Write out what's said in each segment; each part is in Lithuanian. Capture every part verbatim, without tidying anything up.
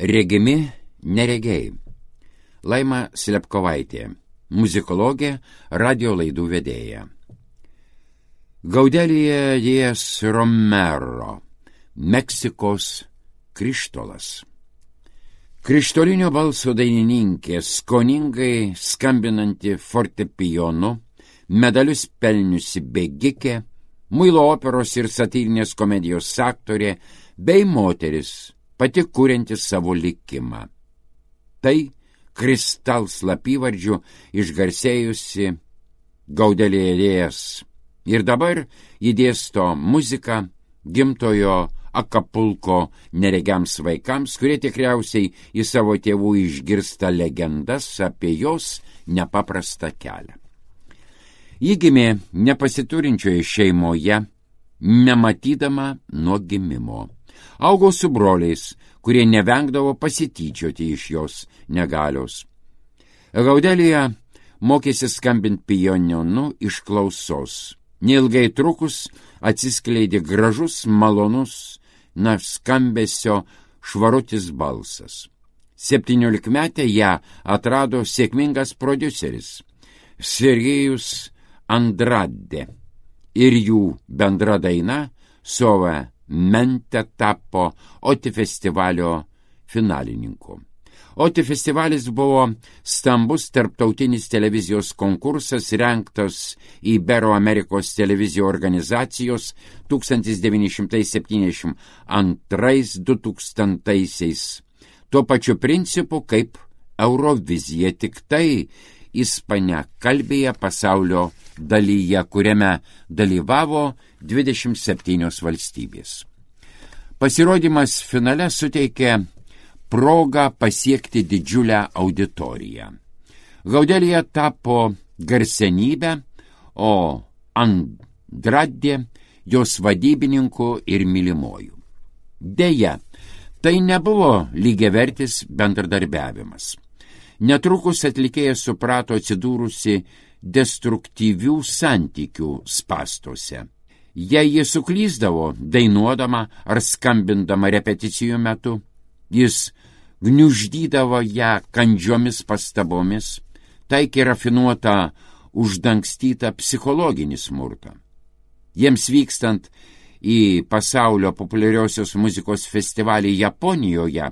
Regimi neregiai. Laima Slepkovaitė, muzikologė, radio laidų vedėja. Gaudelija Dies Romero, Meksikos krištolas. Krištolinio balso dainininkė, skoningai skambinanti fortepijonu, medalius pelniusi bėgikė, muilo operos ir satyrinės komedijos aktorė bei moteris, pati kurianti savo likimą. Tai Kristal slapyvardžiu išgarsėjusi Gaudelija Dies. Ir dabar ji dėsto muziką gimtojo Akapulko neregiams vaikams, kurie tikriausiai į savo tėvų išgirsta legendas apie jos nepaprastą kelią. Ji gimė nepasiturinčioje šeimoje, nematydama nuo gimimo. Augo su broliais, kurie nevengdavo pasityčioti iš jos negalios. Gaudelija mokėsi skambinti pianinu iš klausos. Neilgai trukus atsiskleidė gražus, malonus, na, skambesio švarutis balsas. Septyniolikmetę ją atrado sėkmingas prodiuseris Sergejus Andrade ir jų bendra daina Sova Mente tapo Oti festivalio finalininku. Oti festivalis buvo stambus tarptautinis televizijos konkursas rengtas Ibero-Amerikos televizijos organizacijos tūkstantis devyni šimtai septyniasdešimt antrais - du tūkstantaisiais. Tuo pačiu principu kaip Eurovizija, tik tai ispaniakalbėje pasaulio dalyje, kuriame dalyvavo dvidešimt septynios valstybės. Pasirodymas finale suteikė progą pasiekti didžiulę auditoriją. Gaudelija tapo garsenybę, o Andrade jos vadybininku ir mylimuoju. Deja, tai nebuvo lygiavertis bendradarbiavimas. Netrukus atlikėja suprato atsidūrusi destruktyvių santykių spąstuose. Jei ji suklysdavo dainuodama ar skambindama repeticijų metu, jis gniuždydavo ją kandžiomis pastabomis, taikė rafinuotą, uždangstytą psichologinį smurtą. Jiems vykstant į pasaulio populiariosios muzikos festivalį Japonijoje,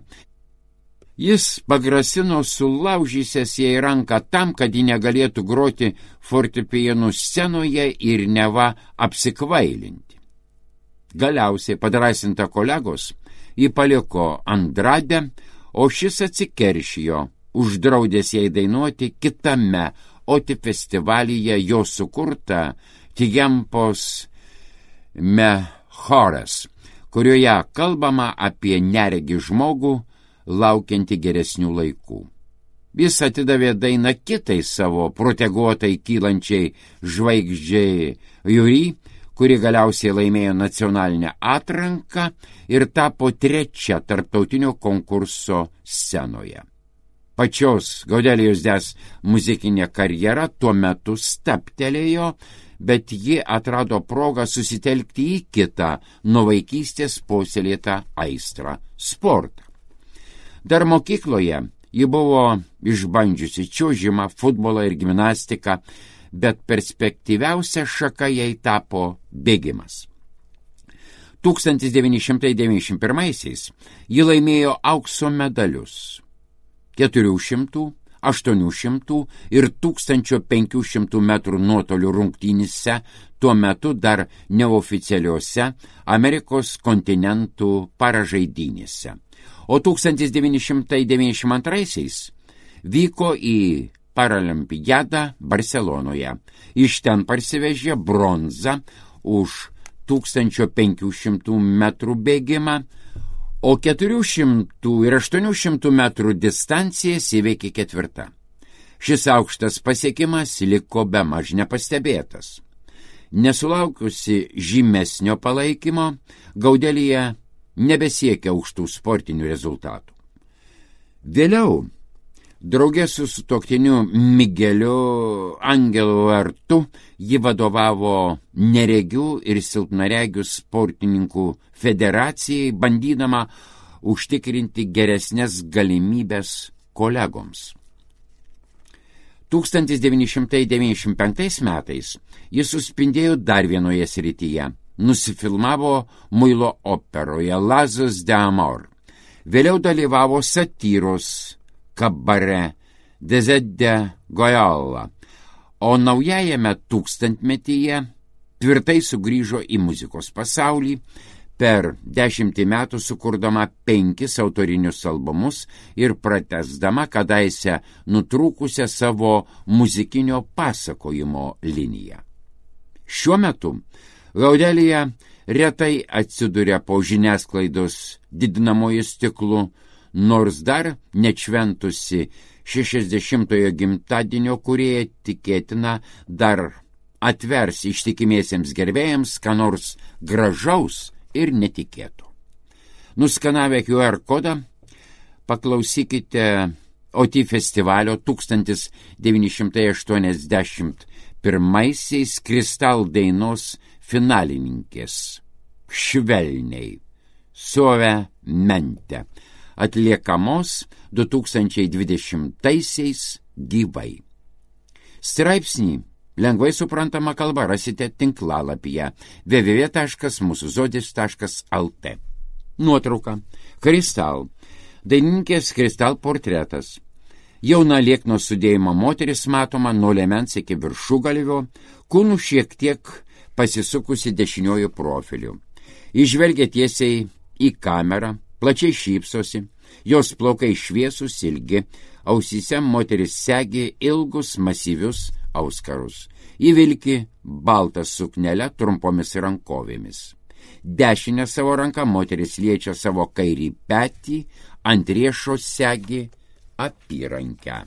jis pagrasino sulaužysęs jai ranką tam, kad ji negalėtų groti fortepijonų scenoje ir neva apsikvailinti. Galiausiai, padrasinta kolegos, ji paliko Andrade, o šis atsikeršijo, uždraudęs jai dainuoti kitame Oti festivalyje jo sukurtą Tiempos Mejores, kurioje kalbama apie neregį žmogų, laukiantį geresnių laikų. Jis atidavė dainą kitai savo proteguotai kylančiai žvaigždžiai Juri, kuri galiausiai laimėjo nacionalinę atranką ir tapo trečia tarptautinio konkurso scenoje. Pačios Gaudelijos Dies muzikinė karjera tuo metu stabtelėjo, bet ji atrado progą susitelkti į kitą nuo vaikystės puoselėtą aistrą – sportą. Dar mokykloje ji buvo išbandžiusi čiuožimą, futbolą ir gimnastiką, bet perspektyviausia šaka jai tapo bėgimas. tūkstantis devyni šimtai devyniasdešimt pirmaisiais ji laimėjo aukso medalius keturių šimtų, aštuonių šimtų ir tūkstančio penkių šimtų metrų nuotolių rungtynėse, tuo metu dar neoficialiuose Amerikos kontinentų paražaidynėse. O tūkstantis devyni šimtai devyniasdešimt antraisiais vyko į Paralimpiadą Barcelonoje. Iš ten parsivežė bronzą už tūkstančio penkių šimtų metrų bėgimą, o keturių šimtų ir aštuonių šimtų metrų distancijas įveikė ketvirta. Šis aukštas pasiekimas liko bemaž nepastebėtas. Nesulaukusi žymesnio palaikymo, Gaudelija nebesiekia aukštų sportinių rezultatų. Vėliau, draugė su sutuoktiniu Migeliu Angelu Artu, ji vadovavo neregių ir silpnaregių sportininkų federacijai, bandydama užtikrinti geresnės galimybės kolegoms. tūkstantis devyni šimtai devyniasdešimt penktais metais jis suspindėjo dar vienoje srityje. Nusifilmavo muilo operoje Lazas de Amor. Vėliau dalyvavo satyros kabare Desert de Goyalla, o naujajame tūkstantmetyje tvirtai sugrįžo į muzikos pasaulį, per dešimtį metų sukurdama penkis autorinius albumus ir pratęsdama kadaise nutrūkusią savo muzikinio pasakojimo liniją. Šiuo metu Gaudelija retai atsiduria po žiniasklaidos didinamojo stiklu, nors dar nešventusi šešiasdešimtojo gimtadienio, kurie tikėtina dar atvers ištikimiesiems gerbėjams ką nors gražaus ir netikėto. Nuskanavę Q R kodą, paklausykite O T festivalio tūkstantis devyni šimtai aštuoniasdešimt pirmaisiais Kristal dainos finalininkės Švelniai, Suavemente, atliekamos du tūkstančiai dvidešimtaisiais gyvai. Straipsnį lengvai suprantama kalba rasite tinklalapyje w w w taškas mūsų žodis taškas l t. Nuotrauka. Kristal. Dainininkės Kristal portretas. Jauna liekno sudėjimo moteris matoma nuo liemens iki viršugalvio, kūnų šiek tiek pasisukusi dešiniuoju profiliu. Įžvelgia tiesiai į kamerą, plačiai šypsosi, jos plaukai šviesūs ilgi, ausyse moteris segi ilgus masyvius auskarus. Įvilki baltą suknelę trumpomis rankovėmis. Dešinę savo ranką moteris liečia savo kairį petį, ant riešo segi apyrankę.